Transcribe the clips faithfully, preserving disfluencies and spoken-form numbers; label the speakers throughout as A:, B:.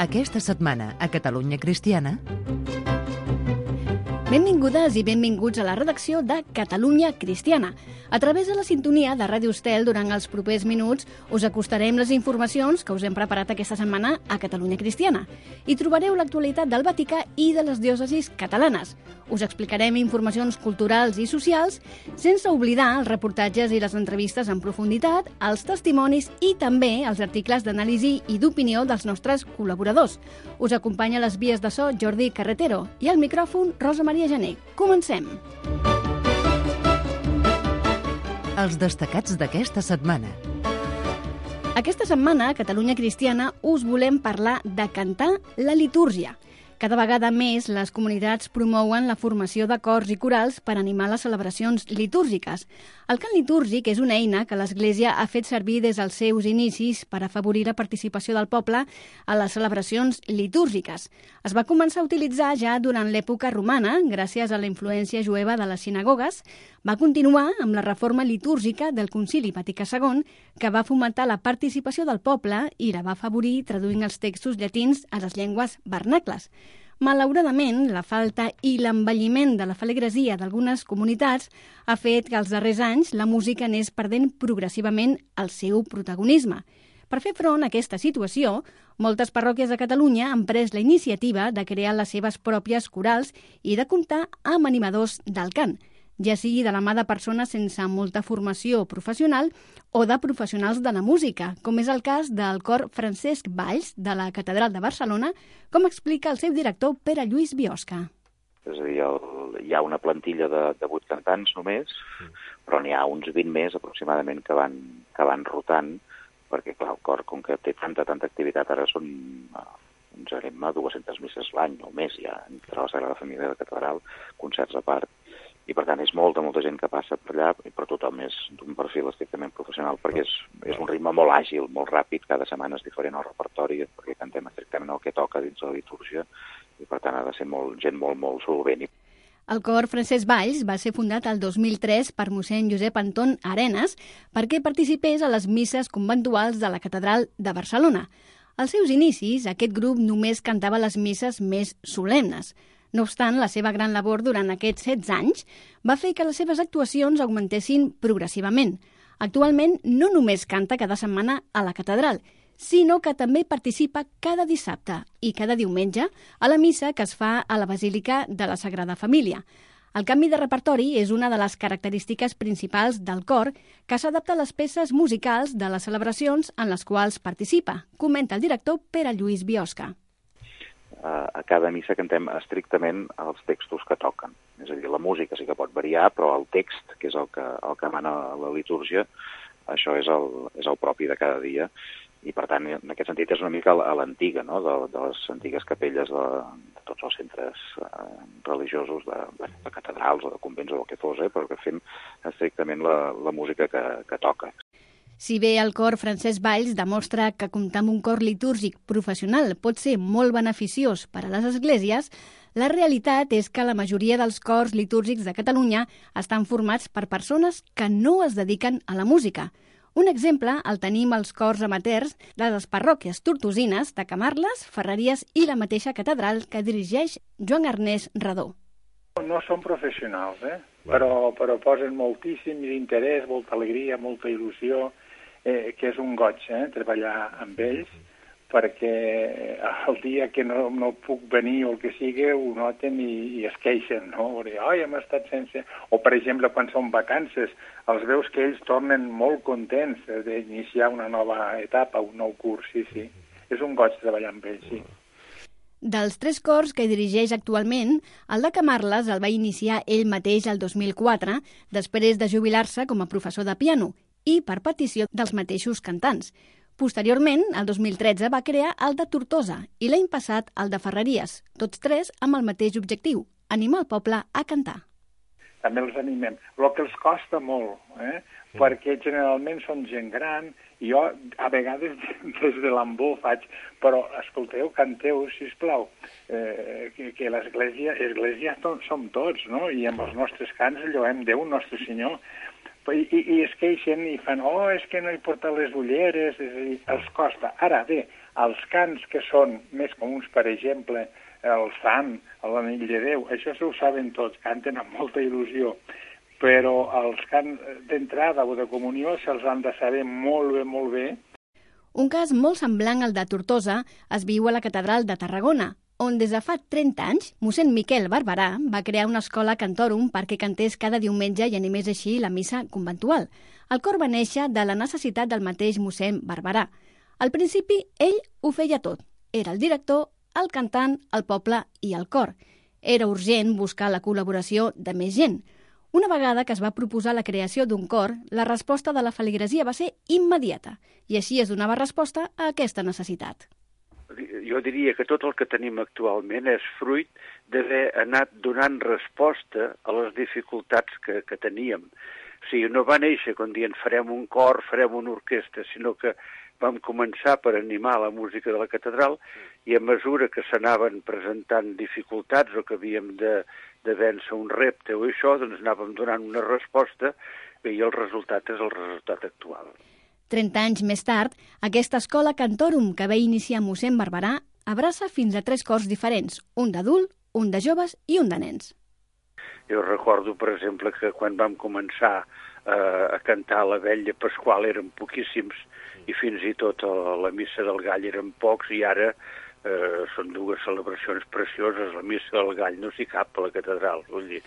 A: Aquesta setmana a Catalunya Cristiana...
B: Benvingudes i benvinguts a la redacció de Catalunya Cristiana. A través de la sintonia de Ràdio Estel, durant els propers minuts, us acostarem les informacions que us hem preparat aquesta setmana a Catalunya Cristiana. Hi trobareu l'actualitat del Vaticà i de les diòcesis catalanes. Us explicarem informacions culturals i socials, sense oblidar els reportatges i les entrevistes en profunditat, els testimonis i també els articles d'anàlisi i d'opinió dels nostres col·laboradors. Us acompanya a les vies de so Jordi Carretero i al micròfon Rosa Maria Gené. Comencem!
A: Els destacats d'aquesta setmana.
B: Aquesta setmana, a Catalunya Cristiana, us volem parlar de cantar la litúrgia. Cada vegada més les comunitats promouen la formació de cors i corals per animar les celebracions litúrgiques. El cant litúrgic és una eina que l'Església ha fet servir des dels seus inicis per afavorir la participació del poble a les celebracions litúrgiques. Es va començar a utilitzar ja durant l'època romana, gràcies a la influència jueva de les sinagogues. Va continuar amb la reforma litúrgica del Concili Vaticà segon, que va fomentar la participació del poble i la va afavorir traduint els textos llatins a les llengües vernacles. Malauradament, la falta i l'envelliment de la feligresia d'algunes comunitats ha fet que als darrers anys la música anés perdent progressivament el seu protagonisme. Per fer front a aquesta situació, moltes parròquies de Catalunya han pres la iniciativa de crear les seves pròpies corals i de comptar amb animadors del cant, ja sigui de la mà de persones sense molta formació professional o de professionals de la música, com és el cas del cor Francesc Valls de la Catedral de Barcelona, com explica el seu director Pere Lluís Biosca.
C: És a dir, el, hi ha una plantilla de, de vuit cantants només, però n'hi ha uns vint més aproximadament que van, que van rotant, perquè clar, el cor, com que té tanta, tanta activitat, ara són uns anem a dues-centes misses l'any o més ja, entre la Sagrada Família de la Catedral, concerts a part, i per tant és molta, molta gent que passa per allà, però tothom és d'un perfil estrictament professional, perquè és, és un ritme molt àgil, molt ràpid, cada setmana és diferent el repertori, perquè cantem estrictament el que toca dins de la litúrgia, i per tant ha de ser molt, gent molt, molt solvent.
B: El cor Francesc Valls va ser fundat el dos mil tres per mossèn Josep Anton Arenas perquè participés a les misses conventuals de la Catedral de Barcelona. Als seus inicis, aquest grup només cantava les misses més solemnes. No obstant, la seva gran labor durant aquests setze anys va fer que les seves actuacions augmentessin progressivament. Actualment, no només canta cada setmana a la catedral, sinó que també participa cada dissabte i cada diumenge a la missa que es fa a la Basílica de la Sagrada Família. El canvi de repertori és una de les característiques principals del cor que s'adapta a les peces musicals de les celebracions en les quals participa, comenta el director Pere Lluís Biosca.
C: A cada missa cantem estrictament els textos que toquen. És a dir, la música sí que pot variar, però el text, que és el que, el que mana la litúrgia, això és el, és el propi de cada dia. I, per tant, en aquest sentit, és una mica a l'antiga, no?, de, de les antigues capelles de, de tots els centres eh, religiosos, de, de catedrals o de convents o el que fos, eh, però que fem estrictament la, la música que, que toca.
B: Si bé el cor Francesc Valls demostra que comptar amb un cor litúrgic professional pot ser molt beneficiós per a les esglésies, la realitat és que la majoria dels cors litúrgics de Catalunya estan formats per persones que no es dediquen a la música. Un exemple el tenim als cors amateurs de les parròquies tortosines de Camarles, Ferreries i la mateixa catedral que dirigeix Joan Ernest Redó.
D: No són professionals, eh? però, però posen moltíssim interès, molta alegria, molta il·lusió, eh, que és un goig eh? treballar amb ells, perquè el dia que no, no puc venir o el que sigui ho noten i, i es queixen, no? Dir, oi, hem estat sense... O, per exemple, quan són vacances, els veus que ells tornen molt contents d'iniciar una nova etapa, un nou curs, sí, sí. És un goig treballar amb ells, sí.
B: Dels tres cors que dirigeix actualment, el de Camarles el va iniciar ell mateix el dos mil quatre, després de jubilar-se com a professor de piano, i per petició dels mateixos cantants. Posteriorment, el dos mil tretze, va crear el de Tortosa i l'any passat el de Ferreries, tots tres amb el mateix objectiu, animar el poble a cantar.
D: També els animem, el que els costa molt, eh? Sí. Perquè generalment són gent gran, i jo a vegades des de l'ambó faig, però escolteu, canteu, sisplau, eh, que, que l'església, església som tots, no? I amb els nostres cants lloem Déu, nostre Senyor, I, i, i es queixen i fan, oh, és que no he portat les ulleres, és a dir, els costa. Ara bé, els cants que són més comuns, per exemple, el sant, l'anell de Déu, això s'ho saben tots, canten amb molta il·lusió, però els cants d'entrada o de comunió se'ls han de saber molt bé, molt bé.
B: Un cas molt semblant al de Tortosa es viu a la Catedral de Tarragona, on des de fa trenta anys, mossèn Miquel Barberà va crear una escola cantòrum perquè cantés cada diumenge i animés així la missa conventual. El cor va néixer de la necessitat del mateix mossèn Barberà. Al principi, ell ho feia tot. Era el director, el cantant, el poble i el cor. Era urgent buscar la col·laboració de més gent. Una vegada que es va proposar la creació d'un cor, la resposta de la feligresia va ser immediata, i així es donava resposta a aquesta necessitat.
E: Jo diria que tot el que tenim actualment és fruit d'haver anat donant resposta a les dificultats que, que teníem. O sigui, no va néixer quan dient farem un cor, farem una orquestra, sinó que vam començar per animar la música de la catedral i a mesura que s'anaven presentant dificultats o que havíem de, de vèncer un repte o això, doncs anàvem donant una resposta i el resultat és el resultat actual.
B: trenta anys més tard, aquesta escola cantòrum que va iniciar mossèn Barberà abraça fins a tres cors diferents, un d'adult, un de joves i un de nens.
E: Jo recordo, per exemple, que quan vam començar eh, a cantar la vetlla pasqual eren poquíssims i fins i tot a la missa del gall eren pocs i ara eh, són dues celebracions precioses. La missa del gall no s'hi cap a la catedral, vull dir,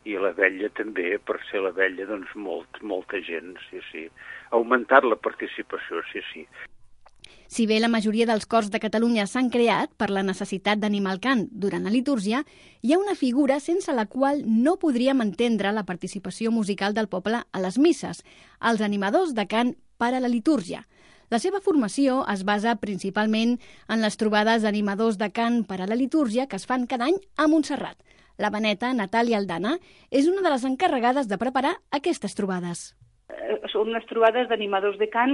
E: i la vetlla també, per ser la vetlla, doncs molt, molta gent, sí, sí. Ha augmentat la participació, sí, sí.
B: Si bé la majoria dels cors de Catalunya s'han creat per la necessitat d'animar el cant durant la litúrgia, hi ha una figura sense la qual no podríem entendre la participació musical del poble a les misses, els animadors de cant per a la litúrgia. La seva formació es basa principalment en les trobades d'animadors de cant per a la litúrgia que es fan cada any a Montserrat. La beneta Natàlia Aldana és una de les encarregades de preparar aquestes trobades.
F: Són unes trobades d'animadors de cant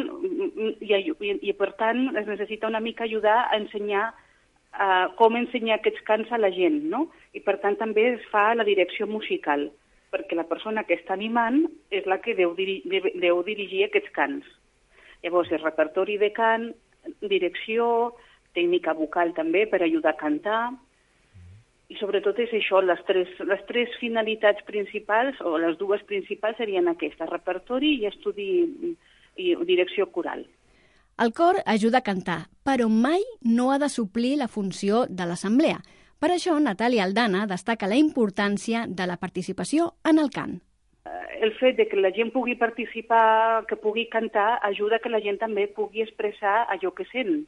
F: i, i, i, per tant, es necessita una mica ajudar a ensenyar uh, com ensenyar aquests cants a la gent, no? I, per tant, també es fa la direcció musical, perquè la persona que està animant és la que deu, diri deu dirigir aquests cants. Llavors, és repertori de cant, direcció, tècnica vocal també per ajudar a cantar, i sobretot és això, les tres, les tres finalitats principals, o les dues principals serien aquestes, repertori i estudi i direcció coral.
B: El cor ajuda a cantar, però mai no ha de suplir la funció de l'assemblea. Per això, Natàlia Aldana destaca la importància de la participació en el cant.
F: El fet de que la gent pugui participar, que pugui cantar, ajuda que la gent també pugui expressar allò que sent.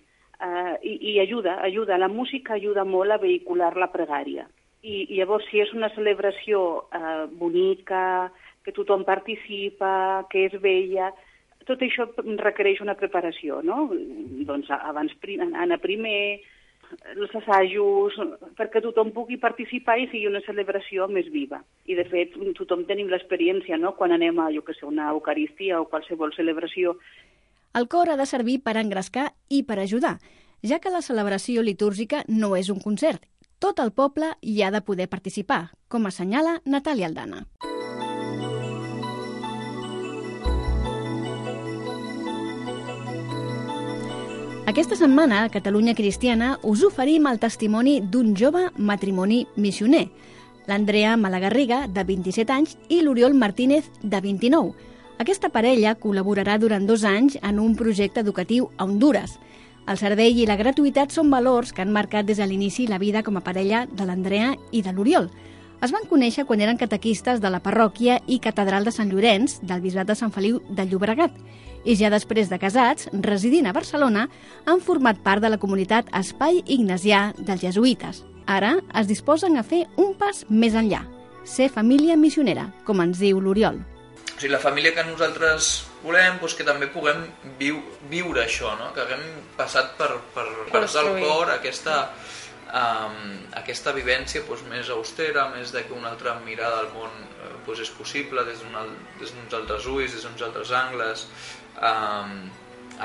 F: Uh, i, i ajuda, ajuda, la música ajuda molt a vehicular la pregària. I, i llavors, si és una celebració uh, bonica, que tothom participa, que és bella, tot això requereix una preparació, no? Doncs abans anar primer, els assajos, perquè tothom pugui participar i sigui una celebració més viva. I, de fet, tothom tenim l'experiència, no?, quan anem a, jo que sé, una eucaristia o qualsevol celebració.
B: El cor ha de servir per engrescar i per ajudar, ja que la celebració litúrgica no és un concert. Tot el poble hi ha de poder participar, com assenyala Natàlia Aldana. Aquesta setmana, a Catalunya Cristiana, us oferim el testimoni d'un jove matrimoni missioner, l'Andrea Malagarriga, de vint-i-set anys, i l'Oriol Martínez, de vint-i-nou. Aquesta parella col·laborarà durant dos anys en un projecte educatiu a Hondures. El servei i la gratuïtat són valors que han marcat des de l'inici la vida com a parella de l'Andrea i de l'Oriol. Es van conèixer quan eren catequistes de la parròquia i catedral de Sant Llorenç del bisbat de Sant Feliu de Llobregat. I ja després de casats, residint a Barcelona, han format part de la comunitat Espai Ignasià dels Jesuïtes. Ara es disposen a fer un pas més enllà, ser família missionera, com ens diu l'Oriol.
G: O sigui, la família que nosaltres volem, doncs que també puguem viu, viure això, no? Que haguem passat per, per, per del cor aquesta, um, aquesta vivència doncs, més austera, més de que una altra mirada al món doncs, és possible des d'uns altres ulls, des d'uns altres angles, um,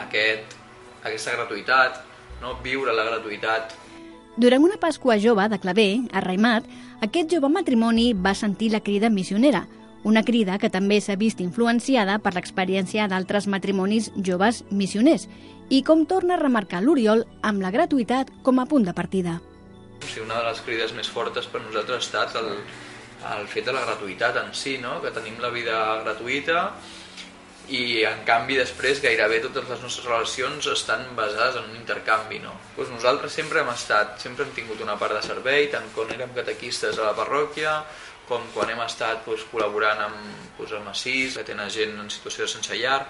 G: aquest, aquesta gratuïtat, no? Viure la gratuïtat.
B: Durant una Pasqua jove de Claver, a Raimat, aquest jove matrimoni va sentir la crida missionera. Una crida que també s'ha vist influenciada per l'experiència d'altres matrimonis joves missioners i com torna a remarcar l'Oriol amb la gratuïtat com a punt de partida.
G: Sí, una de les crides més fortes per nosaltres ha estat el, el fet de la gratuïtat en si, no? Que tenim la vida gratuïta i en canvi després gairebé totes les nostres relacions estan basades en un intercanvi, no? Pues nosaltres sempre hem estat, sempre hem tingut una part de servei, tant quan érem catequistes a la parròquia, com quan hem estat pues, col·laborant amb, pues, amb Assís, que tenen gent en situació de sense llar.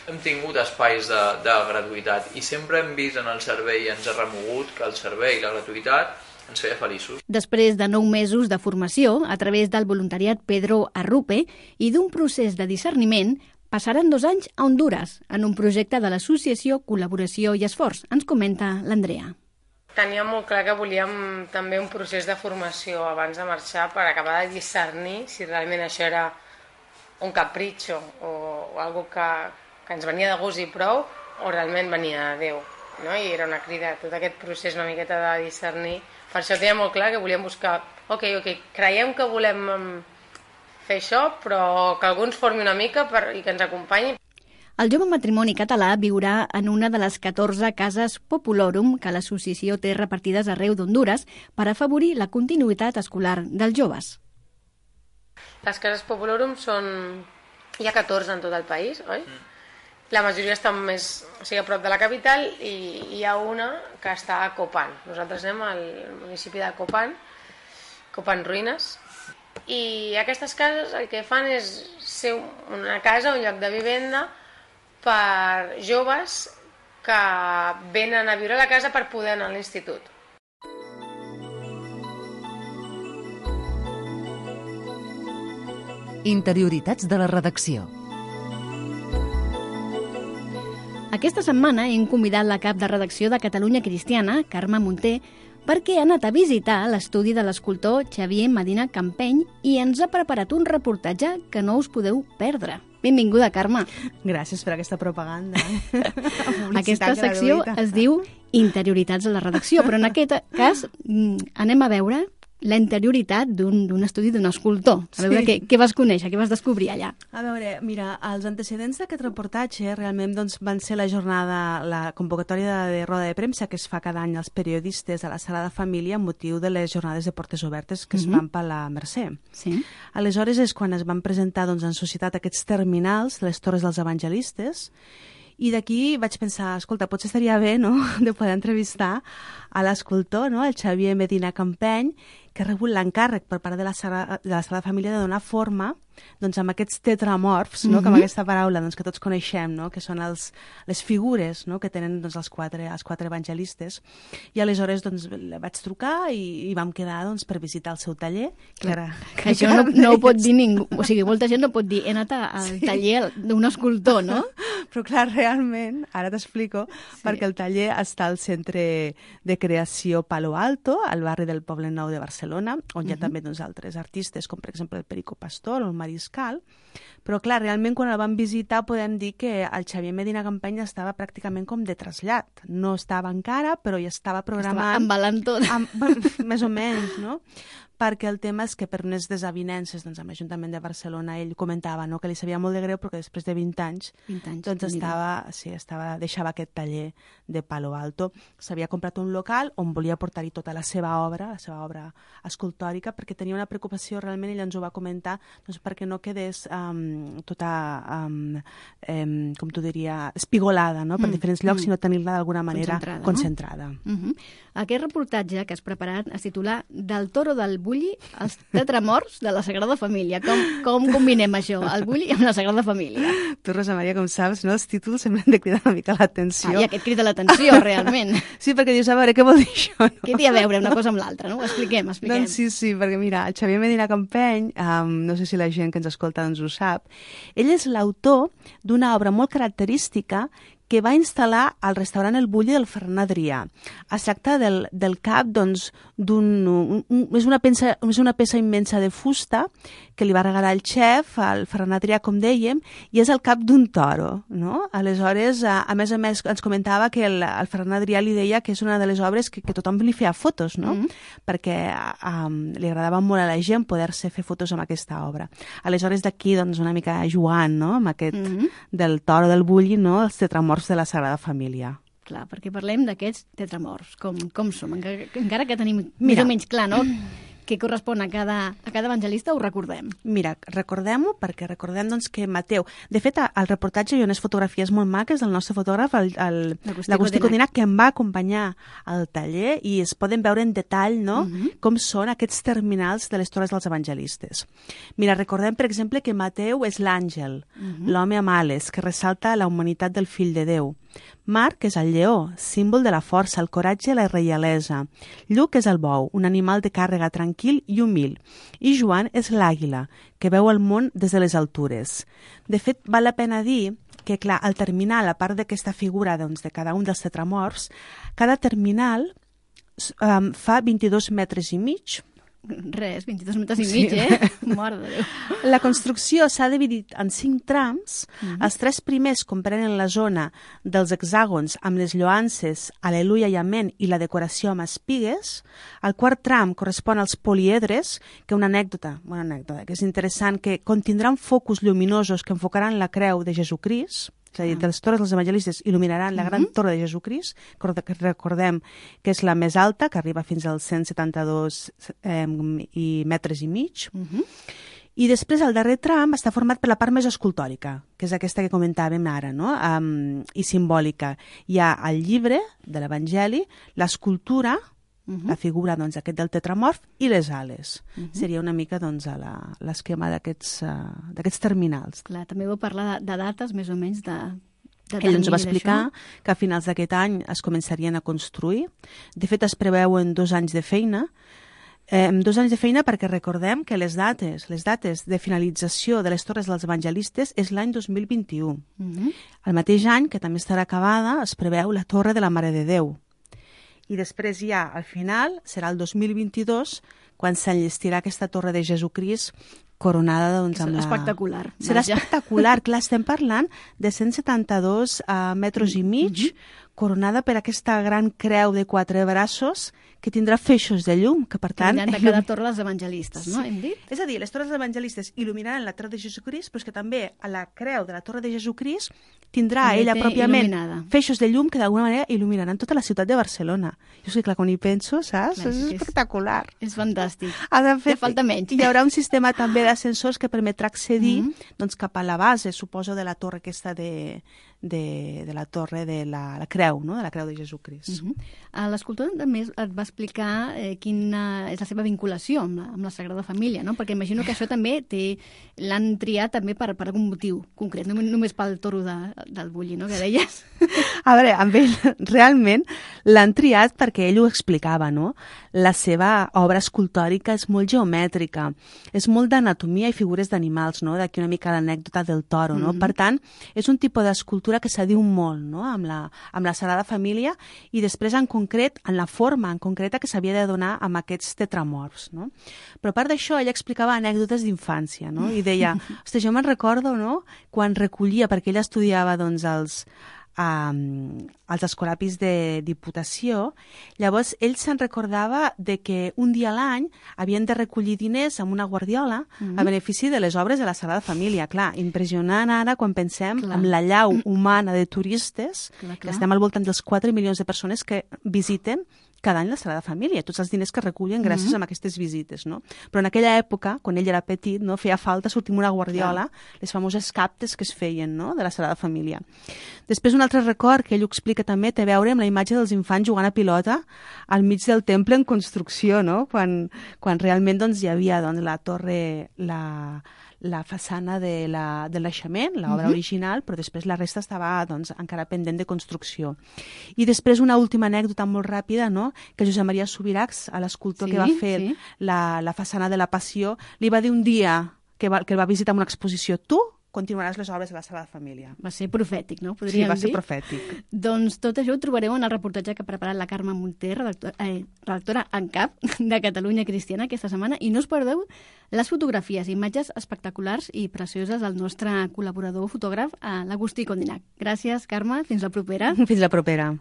G: Hem tingut espais de, de gratuïtat i sempre hem vist en el servei i ens ha remogut que el servei i la gratuïtat ens feia feliços.
B: Després de nou mesos de formació, a través del voluntariat Pedro Arrupe i d'un procés de discerniment, passaran dos anys a Hondures, en un projecte de l'associació Col·laboració i Esforç. Ens comenta l'Andrea.
H: Teníem molt clar que volíem també un procés de formació abans de marxar per acabar de discernir si realment això era un capritxo o, o algo que, que ens venia de gust i prou o realment venia de Déu, no? I era una crida, tot aquest procés una miqueta de discernir. Per això teníem molt clar que volíem buscar, ok, ok, creiem que volem fer això, però que algú ens formi una mica per, i que ens acompanyi.
B: El jove matrimoni català viurà en una de les catorze cases Populorum que l'associació té repartides arreu d'Hondures per afavorir la continuïtat escolar dels joves.
H: Les cases Populorum són... hi ha catorze en tot el país, oi? Mm. La majoria estan més, o sigui, a prop de la capital i hi ha una que està a Copan. Nosaltres anem al municipi de Copan, Copan Ruïnes, i aquestes cases el que fan és ser una casa, un lloc de vivenda per joves que venen a viure a la casa per poder anar a l'institut.
A: Interioritats de la redacció.
B: Aquesta setmana hem convidat la cap de redacció de Catalunya Cristiana, Carme Munté, perquè ha anat a visitar l'estudi de l'escultor Xavier Medina Campeny i ens ha preparat un reportatge que no us podeu perdre. Benvinguda, Carme.
I: Gràcies per aquesta propaganda.
B: Aquesta secció es diu Interioritats de la redacció, però en aquest cas anem a veure la interioritat d'un estudi d'un escultor. A veure, sí. què, què vas conèixer, què vas descobrir allà?
I: A veure, mira, els antecedents d'aquest reportatge realment doncs, van ser la jornada, la convocatòria de, de roda de premsa que es fa cada any als periodistes a la Sagrada Família amb motiu de les jornades de portes obertes que uh-huh. es fan per la Mercè. Sí. Aleshores és quan es van presentar doncs, en societat aquests terminals, les torres dels evangelistes, i d'aquí vaig pensar, escolta, potser estaria bé, no?, de poder entrevistar a l'escultor, no?, el Xavier Medina Campeny, que ha rebut l'encàrrec per part de la Sagrada, de la Sagrada Família de donar forma doncs, amb aquests tetramorfs, no? Mm-hmm. Com aquesta paraula doncs, que tots coneixem, no? Que són els, les figures, no? Que tenen doncs, els, quatre, els quatre evangelistes. I aleshores doncs, vaig trucar i, i vam quedar doncs, per visitar el seu taller. Que ara,
B: que això no, no ho pot dir ningú. O sigui, molta gent no pot dir he anat al sí. taller d'un escultor, no?
I: Però clar, realment, ara t'explico, sí. perquè el taller està al Centre de Creació Palo Alto, al barri del Poble Nou de Barcelona, on hi ha uh-huh. també doncs, altres artistes, com per exemple el Perico Pastor o el Mariscal, però clar, realment quan el vam visitar podem dir que el Xavier Medina Campeny estava pràcticament com de trasllat. No estava encara, però ja estava programant...
B: Estava embalant tot.
I: Amb, més o menys, no? Perquè el tema és que per unes desavinences doncs, amb l'Ajuntament de Barcelona ell comentava no, que li sabia molt de greu perquè després de vint anys,
B: vint anys
I: doncs estava, sí, estava, deixava aquest taller de Palo Alto. S'havia comprat un local on volia portar-hi tota la seva obra, la seva obra escultòrica, perquè tenia una preocupació realment, ell ens ho va comentar, doncs, perquè no quedés um, tota, um, um, com t'ho diria, espigolada no? per mm, diferents llocs, mm. sinó tenir-la d'alguna manera concentrada. concentrada.
B: No? Mm-hmm. Aquest reportatge que has preparat es titula Del toro del bulli als tetramorts de la Sagrada Família. Com, com combinem això, el bulli amb la Sagrada Família?
I: Tu, Rosa Maria, com saps, no? Els títols semblen de cridar una mica l'atenció.
B: Ah, i aquest crida l'atenció, realment.
I: Sí, perquè dius, a veure, què vol dir això? No?
B: Què té a veure una cosa amb l'altra, no? Ho expliquem, expliquem.
I: Doncs sí, sí, perquè mira, el Xavier Medina Campeny, um, no sé si la gent que ens escolta doncs ho sap, ell és l'autor d'una obra molt característica que va instal·lar al restaurant El Bulli del Ferran Adrià. Es tracta del, del cap, doncs, d'un... Un, un, és, una peça, és una peça immensa de fusta que li va regalar el xef, el Ferran Adrià, com dèiem, i és el cap d'un toro, no? Aleshores, a, a més a més, ens comentava que el, el Ferran Adrià li deia que és una de les obres que, que tothom li feia fotos, no? Mm. Perquè um, li agradava molt a la gent poder-se fer fotos amb aquesta obra. Aleshores, d'aquí, doncs, una mica jugant, no?, amb aquest mm-hmm. del toro del Bulli, no?, els tetramorfs de la Sagrada Família.
B: Clar, perquè parlem d'aquests tetramorfs, com, com som, encara, encara que tenim Mira, més o menys clar, no?, què correspon a cada, a cada evangelista, ho recordem.
I: Mira, recordem-ho perquè recordem doncs, que Mateu... De fet, al reportatge hi ha unes fotografies molt maques del nostre fotògraf, l'Agustí Codinac, que em va acompanyar al taller i es poden veure en detall, no?, uh-huh. com són aquests terminals de les torres dels evangelistes. Mira, recordem, per exemple, que Mateu és l'àngel, uh-huh. l'home amb ales, que ressalta la humanitat del fill de Déu. Marc és el lleó, símbol de la força, el coratge i la reialesa. Lluc és el bou, un animal de càrrega tranquil i humil. I Joan és l'àguila, que veu el món des de les altures. De fet, val la pena dir que, clar, al terminal, a part d'aquesta figura doncs, de cada un dels tetramorfs, cada terminal um, fa vint-i-dos metres i mig.
B: Res, vint-i-dos metres i mig, sí. eh? Mare de Déu.
I: La construcció s'ha dividit en cinc trams. Mm-hmm. Els tres primers comprenen la zona dels hexàgons amb les lloances, Aleluia i Amén, i la decoració amb espigues. El quart tram correspon als poliedres, que una anècdota, una anècdota que és interessant, que contindran focus lluminosos que enfocaran la creu de Jesucrist. És a dir, de les torres dels evangelistes il·luminaran la gran torre de Jesucrist, que recordem que és la més alta, que arriba fins als cent setanta-dos eh, i metres i mig. Uh-huh. I després el darrer tram està format per la part més escultòrica, que és aquesta que comentàvem ara, no? Um, i simbòlica. Hi ha el llibre de l'Evangeli, l'escultura, Uh-huh. la figura doncs, aquest del tetramorf i les ales. Uh-huh. Seria una mica doncs, l'esquema d'aquests uh, terminals.
B: Clar, també vau parlar de, de dates més o menys de, de
I: Ell ens va explicar que a finals d'aquest any es començarien a construir. De fet, es preveuen dos anys de feina. Eh, dos anys de feina perquè recordem que les dates, les dates de finalització de les torres dels evangelistes és l'any dos mil vint-i-u. Uh-huh. El mateix any, que també estarà acabada, es preveu la Torre de la Mare de Déu. I després ja, al final, serà el dos mil vint-i-dos, quan s'enllestirà aquesta torre de Jesucrist coronada doncs, amb la...
B: Espectacular.
I: Serà vaja. espectacular. Clar, estem parlant de cent setanta-dos uh, metres i mig, mm-hmm. coronada per aquesta gran creu de quatre braços que tindrà feixos de llum, que per tant...
B: Que de cada torre dels evangelistes, no?
I: Sí.
B: Hem dit?
I: És a dir, les torres dels evangelistes il·luminaran la torre de Jesucrist, però és que també a la creu de la torre de Jesucrist tindrà també ella pròpiament il·luminada. Feixos de llum que d'alguna manera il·luminaran tota la ciutat de Barcelona. Jo sé, clar, quan hi penso, saps? Clar, és, és espectacular.
B: És fantàstic.
I: De fet,
B: ja falta menys.
I: Hi haurà un sistema també d'ascensors que permetrà accedir mm-hmm. doncs, cap a la base, suposo, de la torre aquesta de, de, de la torre de la, la creu, no? De la creu de Jesucrist.
B: Mm-hmm. L'escultor també et va explicar eh, quina és la seva vinculació amb la, amb la Sagrada Família, no? Perquè imagino que això també l'han triat també per, per algun motiu concret, no només pel toro de, del Bulli, no? Que deies.
I: A veure, amb ell realment l'han triat perquè ell ho explicava, no? La seva obra escultòrica és molt geomètrica, és molt d'anatomia i figures d'animals, no? D'aquí una mica l'anècdota del toro, no? Mm-hmm. Per tant, és un tipus d'escultura que s'adiu molt, no? Amb la, amb la Sagrada Família i després en concret, en la forma en concreta que s'havia de donar amb aquests tetramorfs, no? Però a part d'això, ell explicava anècdotes d'infància, no? I deia, ostres, jo me'n recordo, no?, quan recollia, perquè ell estudiava, doncs, els, um, els escolapis de Diputació, llavors ell se'n recordava de que un dia a l'any havien de recollir diners amb una guardiola mm-hmm. a benefici de les obres de la Sagrada Família. Clar, impressionant ara quan pensem clar. En la llau humana de turistes, clar, clar. Que estem al voltant dels quatre milions de persones que visiten cada any la Sagrada Família, tots els diners que recullen gràcies mm-hmm. a aquestes visites, no? Però en aquella època, quan ell era petit, no, feia falta sortir amb una guardiola, clar. Les famoses captes que es feien, no?, de la Sagrada Família. Després, un altre record que ell ho explica també té a veure amb la imatge dels infants jugant a pilota al mig del temple en construcció, no?, quan, quan realment doncs, hi havia doncs, la torre, la... la façana de la, de l'aixament, l'obra uh-huh. original, però després la resta estava doncs, encara pendent de construcció. I després una última anècdota molt ràpida, no?, que Josep Maria Subirachs, a l'escultor sí, que va fer sí. la, la façana de la Passió, li va dir un dia que, va, que el va visitar en una exposició, tu continuaràs les obres de la Sala de Família.
B: Va ser profètic, no?
I: Podríem
B: dir?
I: Sí, va ser profètic.
B: Doncs tot això ho trobareu en el reportatge que ha preparat la Carme Munter, redactora, eh, redactora en cap de Catalunya Cristiana aquesta setmana, i no us perdeu les fotografies, imatges espectaculars i precioses del nostre col·laborador fotògraf, l'Agustí Condinac. Gràcies, Carme. Fins la propera.
I: Fins la propera.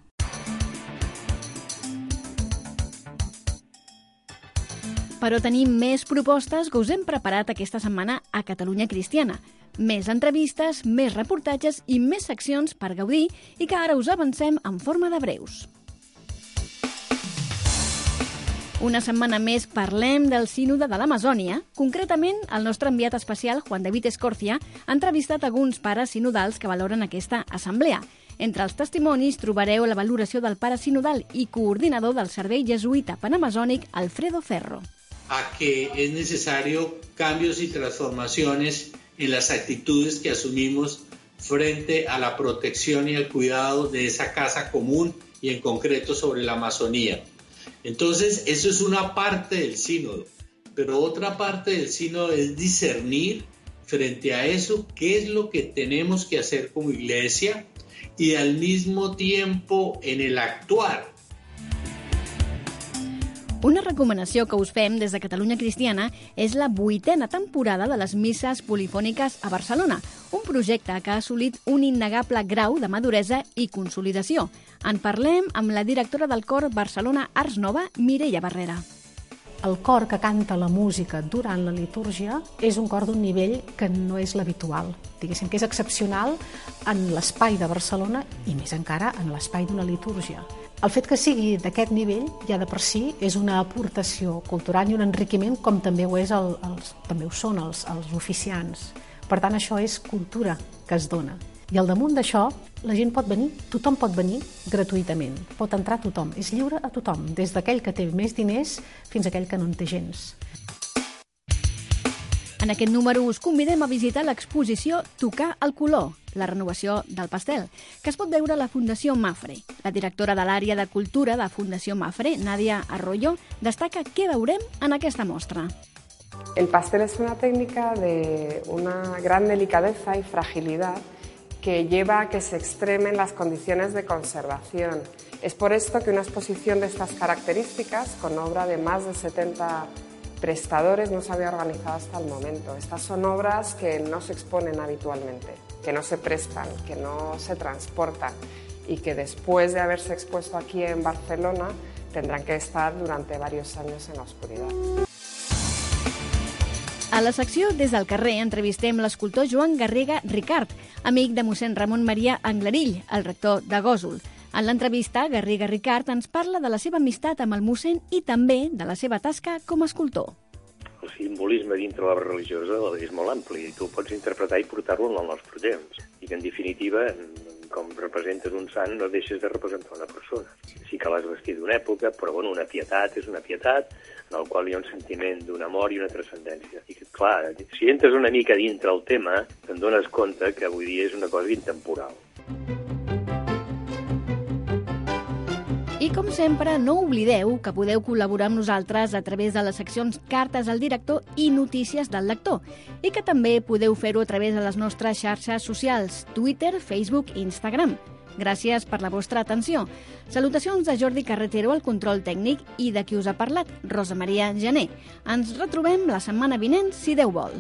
B: Però tenim més propostes que us hem preparat aquesta setmana a Catalunya Cristiana. Més entrevistes, més reportatges i més seccions per gaudir i que ara us avancem en forma de breus. Una setmana més parlem del sínode de l'Amazònia. Concretament, el nostre enviat especial, Juan David Escorcia, ha entrevistat alguns pares sinodals que valoren aquesta assemblea. Entre els testimonis trobareu la valoració del pare sinodal i coordinador del servei jesuïta panamazònic, Alfredo Ferro.
J: A que es necesario cambios y transformaciones en las actitudes que asumimos frente a la protección y el cuidado de esa casa común y en concreto sobre la Amazonía. Entonces, eso es una parte del sínodo, pero otra parte del sínodo es discernir frente a eso qué es lo que tenemos que hacer como iglesia y al mismo tiempo en el actuar.
B: Una recomanació que us fem des de Catalunya Cristiana és la vuitena temporada de les misses polifòniques a Barcelona, un projecte que ha assolit un innegable grau de maduresa i consolidació. En parlem amb la directora del cor Barcelona Arts Nova, Mireia Barrera.
K: El cor que canta la música durant la litúrgia és un cor d'un nivell que no és l'habitual. Diguéssim que és excepcional en l'espai de Barcelona i més encara en l'espai d'una litúrgia. El fet que sigui d'aquest nivell ja de per si és una aportació cultural i un enriquiment com també ho, és el, els, també ho són els, els oficiants. Per tant, això és cultura que es dona. I al damunt d'això, la gent pot venir, tothom pot venir gratuïtament. Pot entrar tothom, és lliure a tothom, des d'aquell que té més diners fins a aquell que no en té gens.
B: En aquest número us convidem a visitar l'exposició Tocar el color, la renovació del pastel, que es pot veure a la Fundació Mafre. La directora de l'àrea de cultura de Fundació Mafre, Nadia Arroyo, destaca què veurem en aquesta mostra.
L: El pastel es una técnica de una gran delicadeza y fragilidad que lleva a que se extremen las condiciones de conservación. Es por esto que una exposición de estas características, con obra de más de setenta prestadores, no se había organizado hasta el momento. Estas son obras que no se exponen habitualmente, que no se prestan, que no se transportan y que después de haberse expuesto aquí en Barcelona tendrán que estar durante varios años en la oscuridad.
B: A la secció Des del carrer entrevistem l'escultor Joan Garriga Ricard, amic de mossèn Ramon Maria Anglerill, el rector de Gósol. En l'entrevista, Garriga Ricard ens parla de la seva amistat amb el mossèn i també de la seva tasca com a escultor.
M: El simbolisme dintre la religiosa és molt ampli i tu ho pots interpretar i portar-lo en el nostre temps. I que, en definitiva, com representes un sant, no deixes de representar una persona. Sí que l'has vestit d'una època, però bueno, una pietat és una pietat en el qual hi ha un sentiment d'un amor i una transcendència. I que, clar, si entres una mica dintre el tema, te'n dones compte que avui dia és una cosa intemporal.
B: I com sempre, no oblideu que podeu col·laborar amb nosaltres a través de les seccions Cartes al director i Notícies del lector, i que també podeu fer-ho a través de les nostres xarxes socials, Twitter, Facebook i Instagram. Gràcies per la vostra atenció. Salutacions de Jordi Carretero al control tècnic i de qui us ha parlat, Rosa Maria Gené. Ens retrobem la setmana vinent, si Déu vol.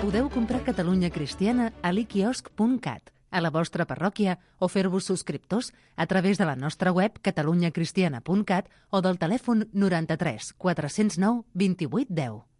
A: Podeu comprar Catalunya Cristiana a l'iquiosc punt cat, a la vostra parròquia, o fer-vos subscriptors a través de la nostra web catalunyacristiana punt cat o del telèfon noranta-tres quatre cents nou vint-i-vuit deu.